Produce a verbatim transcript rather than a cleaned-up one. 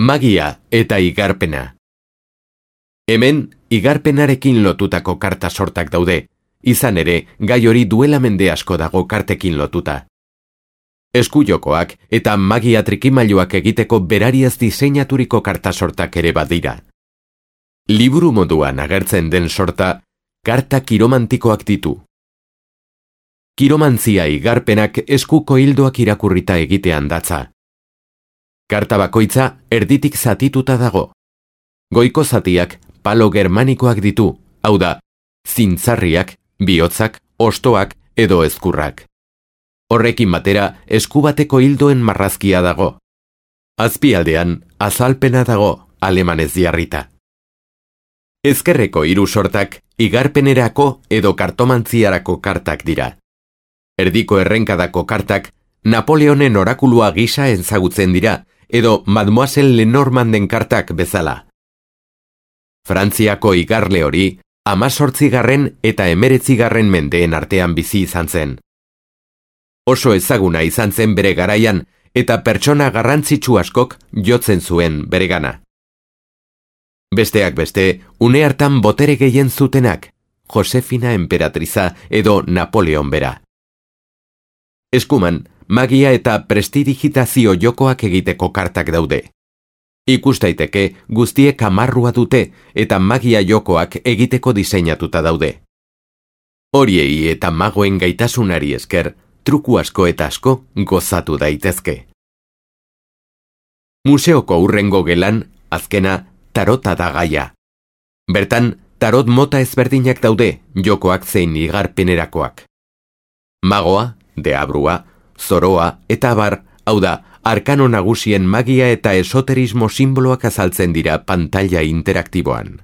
Magia eta igarpena. Hemen, igarpenarekin lotutako karta sortak daude, izan ere, gai hori duela mende asko dago kartekin lotuta. Eskujokoak eta magia trikimailuak egiteko berariaz diseinaturiko karta sortak ere badira. Liburu moduan agertzen den sorta, karta kiromantikoak ditu. Kiromantzia igarpenak eskuko hildoak irakurrita egitean datza. Karta bakoitza erditik zatituta dago. Goiko zatiak palo germanikoak ditu, hau da, zintzarriak, bihotzak, ostoak edo ezkurrak. Horrekin batera eskubateko hildoen marrazkia dago. Azpialdean azalpena dago, alemanez jarrita. Ezkerreko hiru sortak igarpenerako edo kartomantziarako kartak dira. Erdiko errenkadako kartak Napoleonen orakulua gisa ezagutzen dira, edo Mademoiselle Lenormanden kartak bezala. Frantziako igarle hori, hamazortzigarren eta hemeretzigarren mendeen artean bizi izan zen. Oso ezaguna izan zen bere garaian, eta pertsona garrantzitsu askok jotzen zuen beregana. Besteak beste, une hartan botere gehien zutenak, Josefina enperatriza edo Napoleon bera. Eskuman, magia eta prestidigitazio jokoak egiteko kartak daude. Ikus daiteke guztiek amarrua dute eta magia jokoak egiteko diseinatuta daude. Horiei eta magoen gaitasunari esker, truku asko eta asko gozatu daitezke. Museoko hurrengo gelan, azkena, tarota da gaia. Bertan, tarot mota ezberdinak daude, jokoak zein igarpenerakoak. Magoa, deabrua, zoroa eta abar, hau da, arkano nagusien magia eta esoterismo simboloak azaltzen dira pantaila interaktiboan.